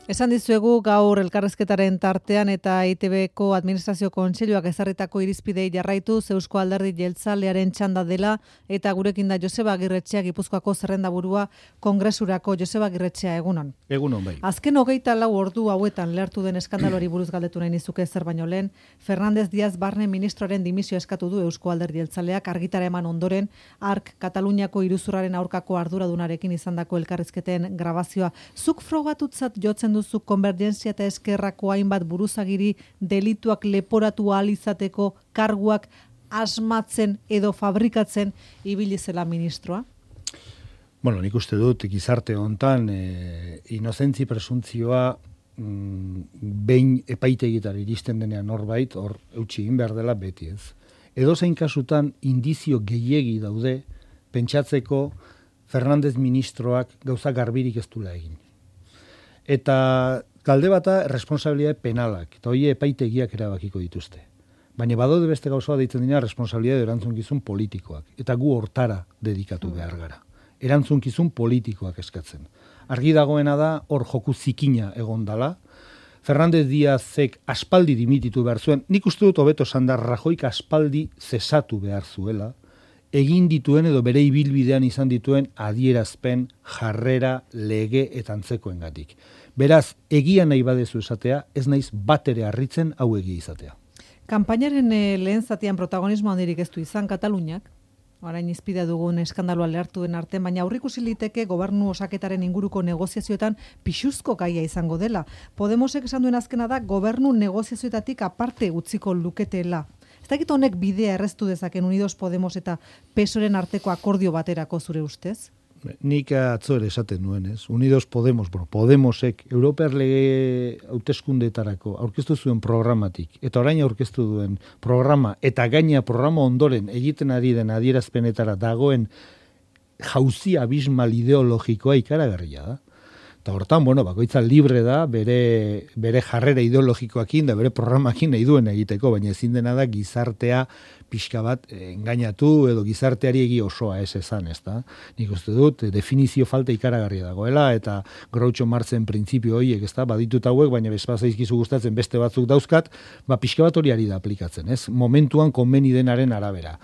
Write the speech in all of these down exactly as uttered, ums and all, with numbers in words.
Esan dizuegu gaur elkarrezketaren tartean eta E I T Bko Administrazio Kontseiluak ezarritako irizpidei jarraituz Eusko Alderdi Jeltzalearen txanda dela eta gurekin da Joseba Agirretxea, Gipuzkoako zerrendaburua Kongresurako. Joseba Agirretxea, egunon. Egunon bai. Azken hogeita lau ordu hauetan lehertu den eskandaloari buruz galdetu nahi nizuke zer baino lehen. Fernández Díaz Barne ministroaren dimisio eskatu du Eusko Alderdi Jeltzaleak argitara eman ondoren Ark Kataluniako iruzurraren aurkako arduradunarekin izandako elkarrizketen grabazioa. Zuk frogatutzat jotzen duzu Konvergentzia eta Eskerrako hainbat buruzagiri delituak leporatu ahal izateko karguak asmatzen edo fabrikatzen ibili zela ministroa? Bueno, nik uste dut gizarte hontan e, inozentzi presuntzioa mm, behin epaitegitara iristen denean norbait, hor eutsi egin behar dela beti ez. Edozein kasutan indizio gehiegi daude pentsatzeko Fernández ministroak gauza garbirik ez duela egin. Eta talde bata responsabilitate penalak, eta hori epaitegiak erabakiko dituzte. Baina badaude beste gauzoa deitzen dira responsabilitate erantzunkizun politikoak, eta gu hortara dedikatu behar gara. Erantzunkizun politikoak eskatzen. Argi dagoena da hor joku zikina egon dala, Fernández Díazek aspaldi dimititu behar zuen, nik uste dut hobeto esan da Rajoik aspaldi zesatu behar zuela, egin dituen edo bere ibilbidean izan dituen adierazpen, jarrera, lege eta antzekoengatik. Beraz, egia nahi badezu esatea, ez naiz bat ere harritzen hau egia izatea. Kanpainaren eh, lehen zatian protagonismo handirik ez du izan Kataluniak, orain izpide dugun eskandaloa lehartu den artean, baina aurrikusi liteke gobernu osaketaren inguruko negoziazioetan pixuzko gaia izango dela. Podemosek esan duen azkena da gobernu negoziazioetatik aparte utziko luketela. Ez dakit honek bidea erreztu dezaken Unidos Podemos eta Pesoren arteko akordio baterako zure ustez? Nik atzo ere esaten nuen, ez? Unidos Podemos, bueno, Podemosek Europear lege hauteskundeetarako aurkeztu zuen programatik, eta orain aurkeztu duen programa, eta gaina programa ondoren egiten ari den adierazpenetara dagoen jauzi abismal ideologikoa ikaragarria da. Eta hortan, bueno, bakoitza libre da bere, bere jarrera ideologikoakin da bere programakin nahi duen egiteko, baina ezin dena da gizartea pixka bat engainatu edo gizarteari egi osoa ez esan, ez da. Nik uste dut, definizio falta ikaragarria dagoela, eta Groucho Marxen printzipio horiek, ez da, baditut hauek, baina bezpazaizkizu gustatzen beste batzuk dauzkat, ba pixka bat hori ari da aplikatzen, ez? Momentuan konbeni denaren arabera.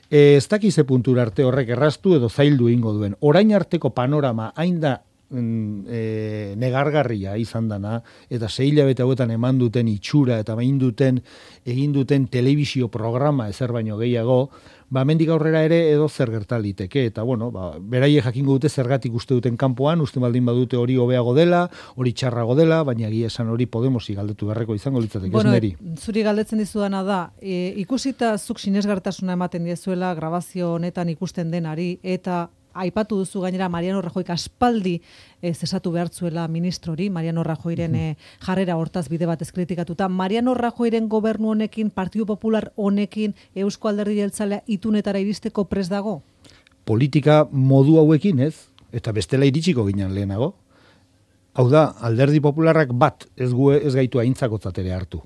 E, ez dakize puntura arte horrek erraztu edo zaildu ingo duen. Orain arteko panorama hain da E, negargarria izan dana, eta sei hilabete hauetan eman duten itxura eta egin duten egin duten telebisio programa ezer baino gehiago, ba mendik aurrera ere edo zer gerta liteke, eta bueno, ba beraiek jakingo dute zergatik uste duten kanpoan, uste baldin badute hori hobeago dela, hori txarrago dela, baina egia esan hori Podemosi galdetu beharreko izango litzateke, bueno, ez neri. Zuri galdetzen dizudana da, e, ikusita zuk sinesgartasuna ematen diezuela grabazio honetan ikusten denari, eta aipatu duzu gainera Mariano Rajoyk aspaldi eh, zesatu behartzuela ministrori, Mariano Rajoyren eh, jarrera hortaz bide batez kritikatuta. Mariano Rajoyren gobernu honekin, Partidu Popular honekin, Eusko Alderdi Jeltzalea itunetara iristeko prest dago? Politika modu hauekin ez, eta bestela iritsiko ginen lehenago. Hau da, Alderdi Popularrak bat ez, gu, ez gaitu aintzakotzat ere hartu.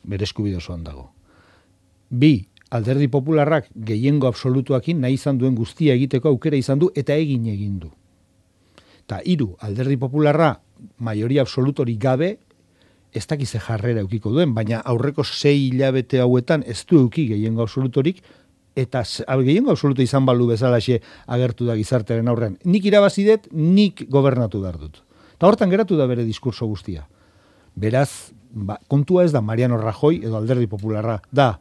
Bere eskubide osoan dago. Bi, Alderdi Popularrak gehiengo absolutuakin nahi izan duen guztia egiteko aukera izan du eta egin egin du. Ta hiru, Alderdi Popularra maioria absolutorik gabe ez dakize jarrera eukiko duen, baina aurreko sei hilabete hauetan ez du euki gehiengo absolutorik, eta gehiengo absoluto izan balu bezalaxe agertu da gizartearen aurrean. Nik irabazi dut, nik gobernatu behar dut. Eta hortan geratu da bere diskurso guztia. Beraz, ba, kontua ez da Mariano Rajoy edo Alderdi Popularra, da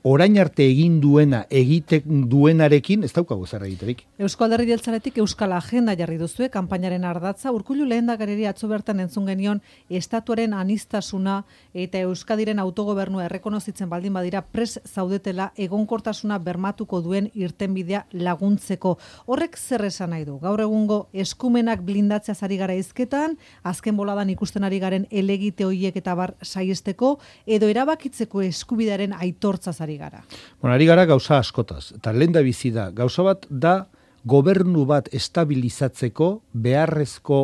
orain arte egin duena, egiten duenarekin, ez daukago zer egiterik. Eusko Alderdi Jeltzaletik Euskal Agenda jarri duzue, kanpainaren ardatza, Urkullu lehendakariri atzo bertan entzun genion, estatuaren anistasuna eta Euskadiren autogobernua errekonozitzen baldin badira pres zaudetela egonkortasuna bermatuko duen irtenbidea laguntzeko. Horrek zer esan nahi du? Gaur egungo eskumenak blindatzeaz ari gara hizketan, azken boladan ikusten ari garen elegite horiek eta bar saiesteko, edo erabakitzeko eskubidearen aitortzaz ari gara. Bueno, ari gara gauza askotaz. Eta lehen da bizi da, gauza bat da gobernu bat estabilizatzeko beharrezko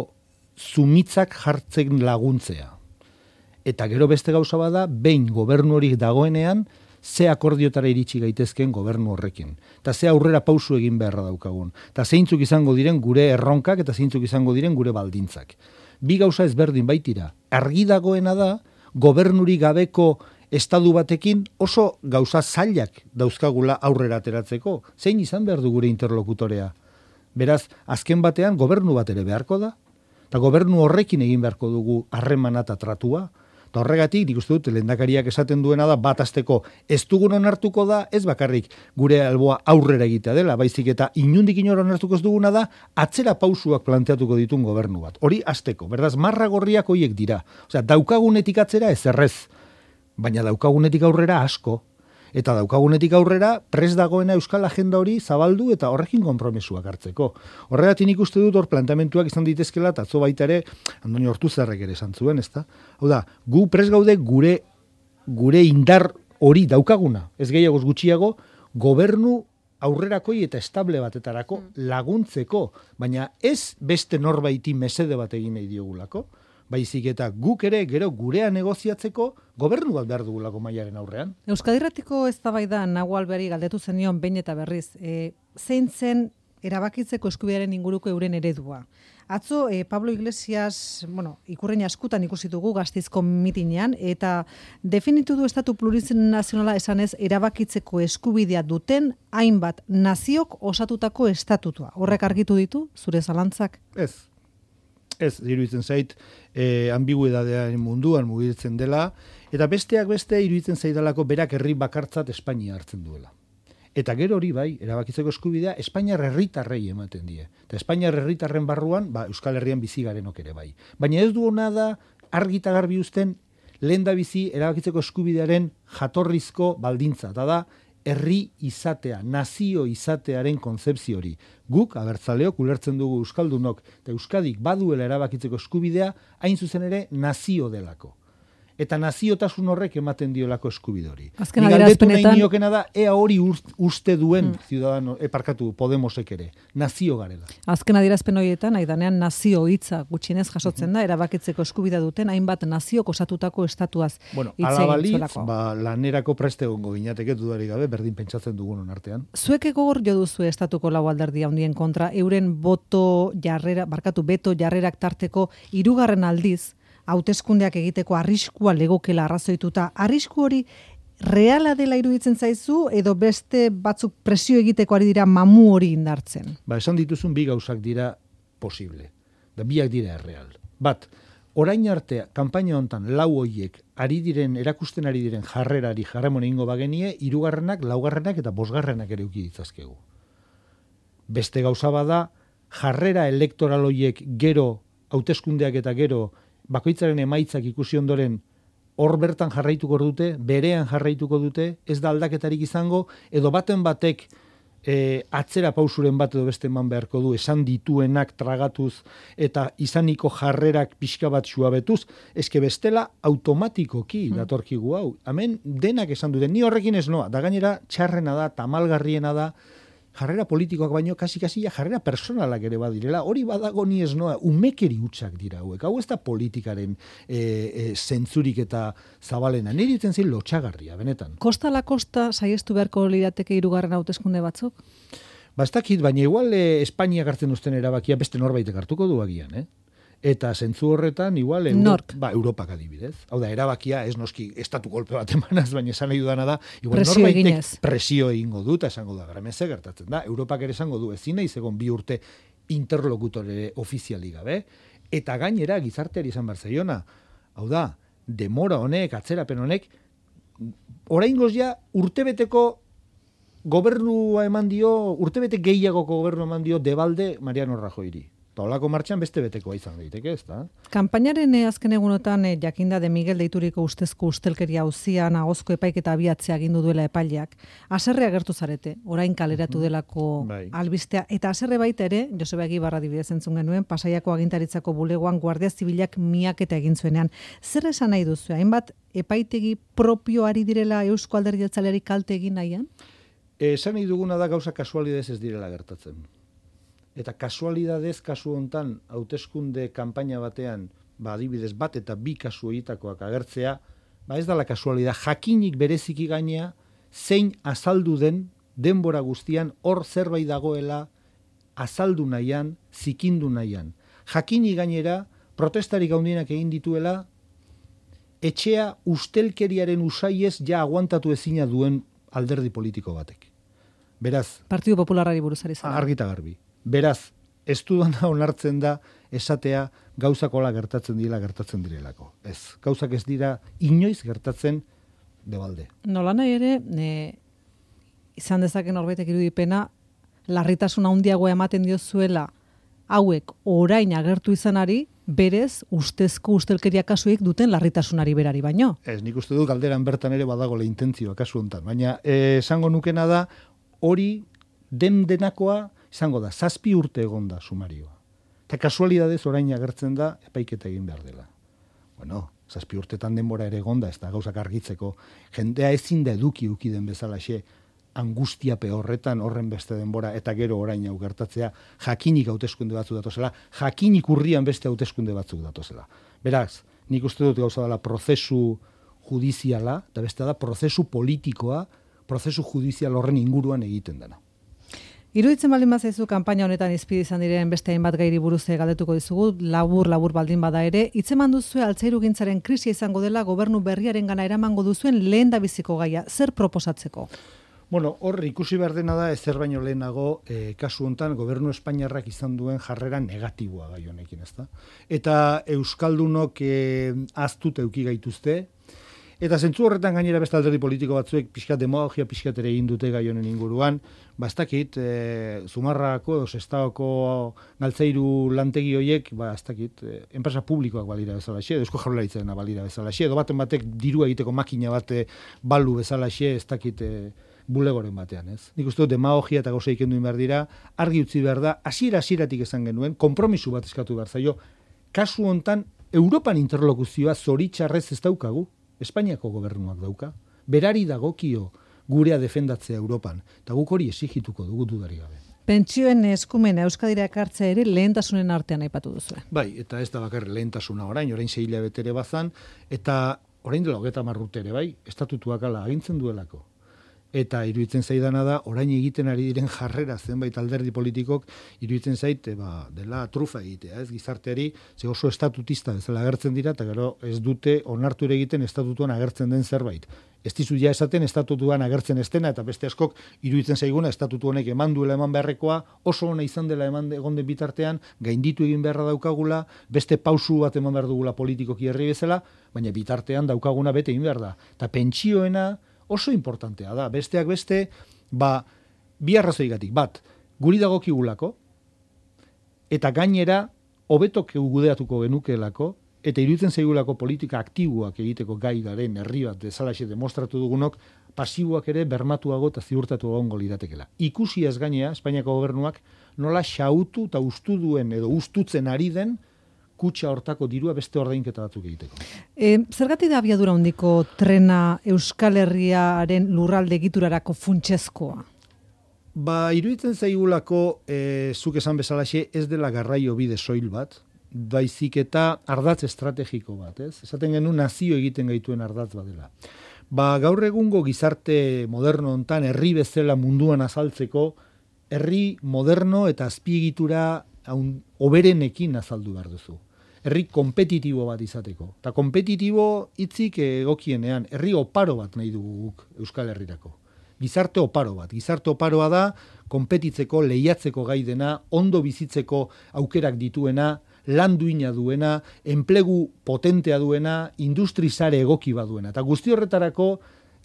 zumitzak jartzen laguntzea. Eta gero beste gauza bat da, behin gobernu hori dagoenean, ze akordiotara iritsi gaitezken gobernu horrekin. Eta ze aurrera pausu egin beharra daukagun. Eta zeintzuk izango diren gure erronkak eta zeintzuk izango diren gure baldintzak. Bi gauza ezberdin baitira. Argi dagoena da, gobernuri gabeko estadu batekin oso gauza zailak dauzkagula aurrera ateratzeko. Zein izan behar du gure interlokutorea? Beraz, azken batean gobernu bat ere beharko da, eta gobernu horrekin egin beharko dugu harremana eta tratua, eta horregatik, nik uste dut, lehendakariak esaten duena da, bat azteko ez dugun onartuko da, ez bakarrik gure alboa aurrera egitea dela, baizik eta inundik inora onartuko ez duguna da, atzera pausuak planteatuko ditun gobernu bat. Hori azteko, berdaz, marra gorriak hoiek dira. Osea, daukagunetik atzera ez errez, baina daukagunetik aurrera asko. Eta daukagunetik aurrera prest dagoena euskal agenda hori zabaldu eta horrekin konpromesuak hartzeko. Horregatik nik uste dut hor planteamentuak izan ditezkela, eta atzo baita ere, Andoni Ortuzarrek ere esan zuen, ezta? Hau da, gu prest gaude gure, gure indar hori daukaguna, ez gehiagoz gutxiago, gobernu aurrerakoi eta estable batetarako laguntzeko, baina ez beste norbaiti mesede bat egin nahi diogulako, baizik eta guk ere gero gurea negoziatzeko gobernu bat behar dugulako mailaren aurrean. Euskadirratiko eztabaidan Nago Alberri galdetu zenion behin eta berriz, e, zein zen erabakitzeko eskubidearen inguruko euren eredua. Atzo e, Pablo Iglesias, bueno, ikurrein askutan ikusi dugu Gasteizko mitinean, eta definitu du estatu plurinazionala esanez erabakitzeko eskubidea duten hainbat naziok osatutako estatutua. Horrek argitu ditu, zure zalantzak? Ez. Ez, iruditzen zait, e, ambiguidadearen munduan mugitzen dela, eta besteak beste iruditzen zaidalako berak herri bakartzat Espainia hartzen duela. Eta gero hori bai, erabakitzeko eskubidea Espainiar herritarrei ematen die. Eta Espainiar herritarren barruan, ba, Euskal Herrian bizi garenok ere bai. Baina ez du hona da argi eta garbi uzten lehen da bizi erabakitzeko eskubidearen jatorrizko baldintza. Eta da, herri izatea, nazio izatearen kontzepzio hori. Guk, abertzaleok, ulertzen dugu euskaldunok, eta Euskadik baduela erabakitzeko eskubidea, hain zuzen ere nazio delako. Eta naziotasun horrek ematen diolako eskubide hori. Azken Nik galdetu nahi adierazpenetan niokena da, ea hori uste duen mm. ciudadano, eparkatu, Podemosek ere, nazio garela. Azken adierazpen horietan, aidanean nazio hitza gutxienez jasotzen da, erabakitzeko eskubidea duten hainbat naziok osatutako estatuaz. Bueno, hitz ala egin balitz, zuelako. ba, lanerako preste egongo ginateke dudarik gabe, berdin pentsatzen dugunon artean. Zuek gogor jo duzu estatuko lau alderdi handien kontra, euren boto jarrera, barkatu beto jarrerak tarteko hirugarren aldiz, hauteskundeak egiteko arriskua legokela arrazoituta. Arrisku hori reala dela iruditzen zaizu edo beste batzuk presio egiteko ari dira mamu hori indartzen? Ba, esan dituzun bi gauzak dira posible. Da biak dira erreal. Bat, orain arte kanpaina hontan lau hoiek ari diren, erakusten ari diren jarrerari jarramon egingo bagenie, hirugarrenak, laugarrenak eta bosgarrenak ere uki ditzazkegu. Beste gauza bada, jarrera elektoral hoiek gero, hauteskundeak eta gero, bakoitzaren emaitzak ikusi ondoren hor bertan jarraituko dute, berean jarraituko dute, ez da aldaketarik izango, edo baten batek e, atzera pausuren bat edo beste eman beharko du, esan dituenak tragatuz eta izaniko jarrerak pixka bat suabetuz, eske bestela automatikoki datorkigu hau. Hemen denak esan dute, ni horrekin ez noa, da gainera txarrena da, tamalgarriena da, jarrera politikoak baino kasi-kasi jarrera personalak ere badirela, hori badago ni ez noa, umekeri hutsak dira hauek, hau ez da politikaren e, e, zentzurik eta zabalena, niri ditzen zin lotxagarria, benetan. Kosta la kosta saiestu beharko lirateke hirugarren hauteskunde batzuk? Ba, ez dakit, baina igual e, Espainiak hartzen duzten erabakia beste norbaitek hartuko du agian, eh? Eta zentzu horretan, igual, Euro, ba, Europak adibidez. Hau da, erabakia, ez noski, estatu kolpe bat emanaz, baina esan nahi dudana da, igual presio norbaitek eginez. Presio egingo du, eta esango da, grameze gertatzen da. Europak ere esango du, ezin nahi zegon bi urte interlokutore ofiziali gabe, eta gainera gizarteari izan behar zaiona. Hau da, demora honek, atzerapen honek, oraingoz ja urtebeteko gobernua eman dio, urtebete gehiagoko gobernua eman dio debalde Mariano Rajoyri. Eta holako martxan beste betekoa izan daiteke, ez da? Kanpainaren eh, azken egunotan eh, jakinda de Miguel deituriko ustezko ustelkeria auzian agozko epaiketa abiatzea agindu duela epaileak. Haserre agertu zarete, orain kaleratu delako Bai. albistea. Eta haserre baita ere, Joseba Egibarra adibidez entzun genuen, Pasaiako agintaritzako bulegoan Guardia Zibilak miaketa egin zuenean. Zer esan nahi duzu? Hainbat epaitegi propio ari direla Eusko Alderdi Jeltzaleari kalte egin nahian? Esan nahi duguna da gauza kasualidez ez direla gertatzen. Eta kasualidadez kasu hontan hauteskunde kanpaina batean, ba adibidez bat eta bi kasu horietakoak agertzea, ba ez dala kasualidad, jakinik bereziki gainea zein azaldu den denbora guztian hor zerbait dagoela azaldu nahian, zikindu nahian. Jakini gainera, protestarik handienak egin dituela, etxea ustelkeriaren usaiez ja aguantatu ezina duen alderdi politiko batek. Beraz, Partidu Popularrari buruzari zara. Argita garbi. Beraz, ez dudana onartzen da esatea gauzakola gertatzen dira gertatzen direlako. Ez, gauzak ez dira inoiz gertatzen debalde. Nola nahi ere, e, izan dezaken norbaitek irudipena, larritasun handiagoa ematen diozuela hauek orain agertu izanari, berez ustezko ustelkeria kasuik duten larritasunari berari baino. Ez, nik uste dut galderan bertan ere badagoela intentzioa kasu honetan, baina eh, esango nukena da hori den denakoa izango da, zazpi urte egon da sumarioa. Eta kasualidadez orain agertzen da epaiketa egin behar dela. Bueno, zazpi urtetan denbora ere egon da, ez da gauzak argitzeko. Jendea ezin da eduki uki den bezalaxe angustiape horretan horren beste denbora eta gero orain hau gertatzea jakinik hauteskunde batzuk datozela, jakinik urrian beste hauteskunde batzuk datozela. Beraz, nik uste dut gauza dela prozesu judiziala, eta beste da prozesu politikoa, prozesu judizial horren inguruan egiten dena. Iruditzen baldin bazaizu kanpaina honetan izpide izan diren beste hainbat gairi buruz galdetuko dizugu, labur labur baldin bada ere, hitzeman duzue altzairugintzaren krisia izango dela gobernu berriarengana eramango duzuen lehendabiziko gaia, zer proposatzeko? Bueno, hor ikusi behar dena da ezer baino lehenago eh, kasu hontan gobernu espainiarrak izan duen jarrera negatiboa gai honekin, ezta? Eta euskaldunok eh, aztut euki gaituzte. Eta zentzu horretan gainera beste alderdi politiko batzuek pixkat demagogia pixkat ere egin dute gai honen inguruan, ba ez dakit, e, Zumarrako edo Sestaoko galtzairu lantegi horiek, ba ez dakit, e, enpresa publikoak balira bezalaxe, edo Eusko Jaurlaritzarena balira bezalaxe, edo baten batek diru egiteko makina bate balu bezalaxe, ez dakit, e, bulegoren batean, ez? Nik uste dut demagogia eta gauza ikendu behar dira, argi utzi behar da, hasiera hasieratik esan genuen, konpromisu bat eskatu behar zaio, kasu hontan Europan interlokuzioa zoritxarrez ez daukagu, Espainiako gobernuak dauka, berari dagokio gurea defendatzea Europan, eta guk hori exigituko dugu dudari gabe. Pentsioen eskumena Euskadira ekartzea ere lehentasunen artean aipatu duzu. Bai, eta ez da bakar lehentasuna orain, orain sei hilabete ere bazan, eta orain dela hogeita hamar urte ere bai, estatutuak ala agintzen duelako. Eta iruditzen zaidana da, orain egiten ari diren jarrera zenbait alderdi politikok, iruditzen zait, ba, dela trufa egitea, ez gizarteari, ze oso estatutista bezala agertzen dira, eta gero ez dute onartu ere egiten estatutuan agertzen den zerbait. Ez dizu ja esaten estatutuan agertzen estena, eta beste askok iruditzen zaiguna estatutu honek eman duela eman beharrekoa, oso ona izan dela eman egon den bitartean, gainditu egin beharra daukagula, beste pausu bat eman behar dugula politikoki herri bezala, baina bitartean daukaguna bete egin behar da. Eta pentsioena oso importantea da. Besteak beste, ba, bi arrazoigatik. Bat, guri dagokigulako, eta gainera, hobetok gudeatuko genukeelako, eta iruditzen zaigulako politika aktiboak egiteko gai garen herri bat bezalaxe demostratu dugunok, pasiboak ere bermatuago eta ziurtatu egongo liratekela. Ikusi ez gainea, Espainiako gobernuak nola xautu eta ustu duen edo ustutzen ari den kutxa hortako dirua beste ordainketa batzuk egiteko. E, zergatik da abiadura handiko trena Euskal Herriaren lurralde egiturarako funtsezkoa? Ba, iruditzen zaigulako, e, zuk esan bezalaxe, ez dela garraio bide soil bat, baizik eta ardatz estrategiko bat, ez? Esaten genuen nazio egiten gaituen ardatz bat dela. Ba, gaur egungo gizarte moderno hontan herri bezala munduan azaltzeko, herri moderno eta azpiegitura hoberenekin azaldu behar duzu. Herri kompetitibo bat izateko. Eta kompetitibo hitzik egokienean, herri oparo bat nahi dugu guk Euskal Herrirako. Gizarte oparo bat. Gizarte oparoa da, konpetitzeko, lehiatzeko gai dena, ondo bizitzeko aukerak dituena, lan duina duena, enplegu potentea duena, industrizare egoki bat duena. Eta guzti horretarako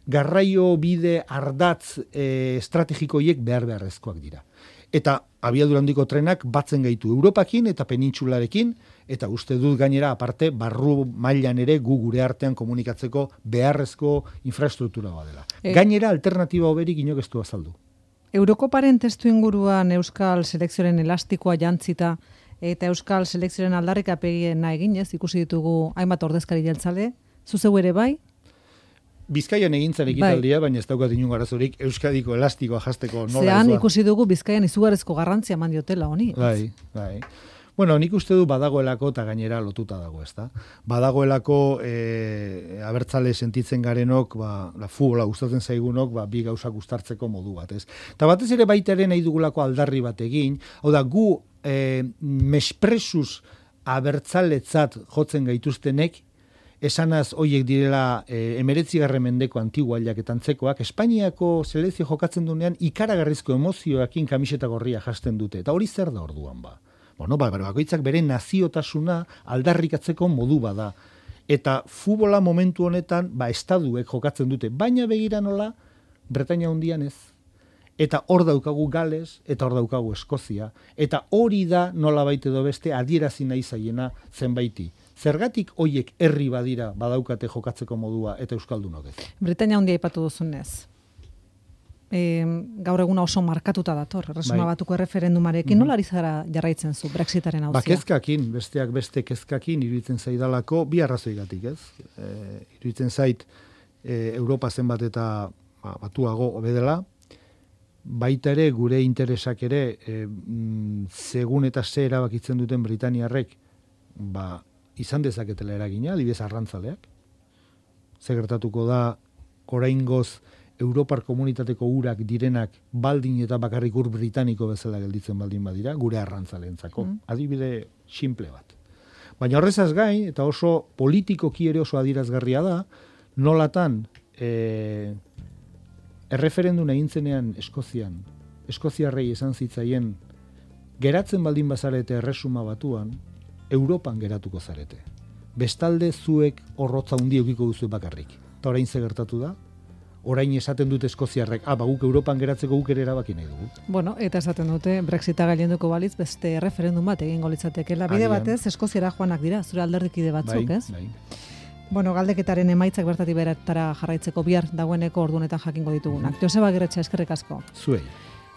garraio bide ardatz e, estrategikoiek behar beharrezkoak dira. Eta abiadura handiko trenak batzen gaitu Europakin eta penintsularekin, eta uste dut gainera aparte barru mailan ere gu gure artean komunikatzeko beharrezko infrastruktura badela. E... Gainera alternatiba hoberik inok ez du azaldu. Eurokoparen testu inguruan Euskal Selekzioaren elastikoa jantzita eta Euskal Selekzioaren aldarrikapena eginez ikusi ditugu hainbat ordezkari jeltzale, zuzeu ere bai? Bizkaian egintzen ekitaldia, bai. Baina ez daukat inun garazorik Euskadiko elastikoa jasteko nola. Zean ikusi dugu Bizkaian izugarrizko garrantzia eman diotela honi. Bai, bai. Bueno, nik uste du badagoelako eta gainera lotuta dago, ezta? Badagoelako e, abertzale sentitzen garenok, ba, la futbola gustatzen zaigunok, ba, bi gauzak uztartzeko modu bat, ez? Eta batez ere baita ere nahi dugulako aldarri bat egin, hau da, gu e, mespresuz abertzaletzat jotzen gaituztenek, esanaz hoiek direla e, emeretzigarren mendeko antiguailak eta antzekoak, Espainiako selekzio jokatzen duenean ikaragarrizko emozioekin kamiseta gorria jasten dute. Eta hori zer da orduan ba? Bueno, ba, bakoitzak bere naziotasuna aldarrikatzeko modu bada. Eta futbola momentu honetan, ba, estaduek jokatzen dute. Baina begira nola, Bretaña hundian ez. Eta hor daukagu Gales, eta hor daukagu Eskozia. Eta hori da nola baite edo beste adierazi nahi zaiena zenbaiti. Zergatik hoiek herri badira badaukate jokatzeko modua eta euskaldunok ez? Britainia handia aipatu duzunez. E, gaur eguna oso markatuta dator, Erresuma bai. Batuko erreferendumarekin, mm-hmm. Nola ari zara jarraitzen zu Brexitaren auzia? Ba, kezkakin, besteak beste kezkakin iruditzen zaidalako, bi arrazoigatik ez? E, iruditzen zait e, Europa zenbat eta ba, batuago obedela, baita ere gure interesak ere e, mm, segun eta ze erabakitzen duten Britaniarrek, ba, izan dezaketela eragina, adibidez arrantzaleak. Ze gertatuko da oraingoz Europar komunitateko urak direnak baldin eta bakarrik ur britaniko bezala gelditzen baldin badira, gure arrantzaleentzako. Mm. Adibide simple bat. Baina horrezaz gain, eta oso politikoki ere oso adierazgarria da, nolatan e, erreferendun egin zenean Eskozian, Eskoziarrei esan zitzaien, geratzen baldin bazarete Erresuma Batuan, Europan geratuko zarete. Bestalde zuek horrotza hundi eukiko duzu bakarrik. Eta orain ze gertatu da? Orain esaten dute Eskoziarrek, ah, ba, guk Europan geratzeko guk ere erabaki nahi dugu. Bueno, eta esaten dute Brexita gailenduko balitz beste referendum bat egingo litzatekeela. Bide batez Eskoziara joanak dira, zure alderdikide batzuk, bai, ez? Bai. Bueno, galdeketaren emaitzak bertatik beratara jarraitzeko bihar dagoeneko ordunetan jakingo ditugunak. Mm-hmm. Joseba Agirretxe, eskerrik asko. Zuei.